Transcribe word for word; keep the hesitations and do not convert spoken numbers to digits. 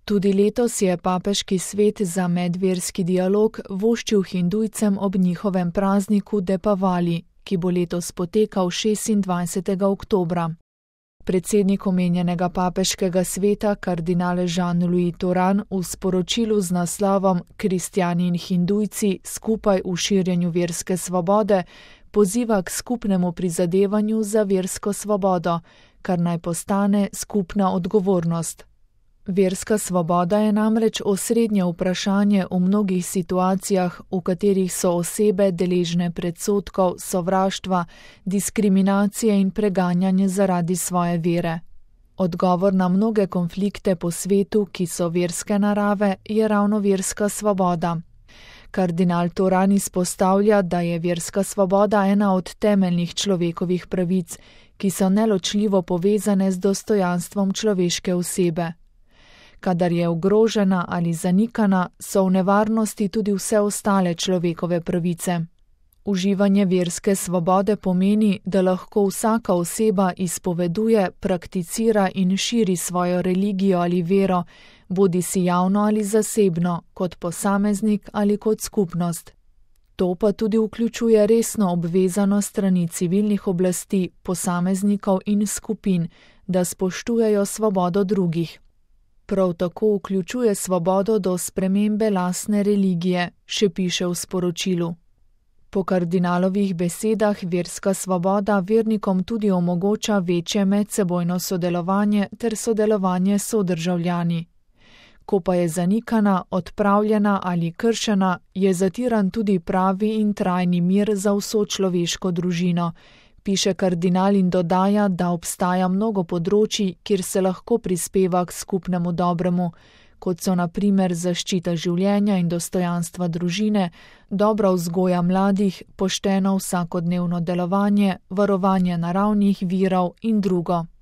Tudi letos je papeški svet za medverski dialog voščil Hindujcem ob njihovem prazniku Depavali, ki bo letos potekal šestindvajsetega oktobra. Predsednik omenjenega papeškega sveta, kardinal Jean-Louis Tauran, v sporočilu z naslovom Kristjani in Hindujci skupaj v širjenju verske svobode poziva k skupnemu prizadevanju za versko svobodo, kar naj postane skupna odgovornost. Verska svoboda je namreč osrednje vprašanje v mnogih situacijah, v katerih so osebe deležne predsodkov, sovraštva, diskriminacije in preganjanja zaradi svoje vere. Odgovor na mnoge konflikte po svetu, ki so verske narave, je ravno verska svoboda. Kardinal Tauran izpostavlja, da je verska svoboda ena od temeljnih človekovih pravic, ki so neločljivo povezane z dostojanstvom človeške osebe. Kadar je ogrožena ali zanikana, so v nevarnosti tudi vse ostale človekove pravice. Uživanje verske svobode pomeni, da lahko vsaka oseba izpoveduje, prakticira in širi svojo religijo ali vero, bodisi javno ali zasebno, kot posameznik ali kot skupnost. To pa tudi vključuje resno obvezanost strani civilnih oblasti, posameznikov in skupin, da spoštujejo svobodo drugih. Prav tako vključuje svobodo do spremembe lastne religije, še piše v sporočilu. Po kardinalovih besedah verska svoboda vernikom tudi omogoča večje medsebojno sodelovanje ter sodelovanje s sodržavljani. Ko pa je zanikana, odpravljena ali kršena, je zatiran tudi pravi in trajni mir za vso človeško družino, piše kardinal in dodaja, da obstaja mnogo področij, kjer se lahko prispeva k skupnemu dobremu, kot so na primer zaščita življenja in dostojanstva družine, dobra vzgoja mladih, pošteno vsakodnevno delovanje, varovanje naravnih virov in drugo.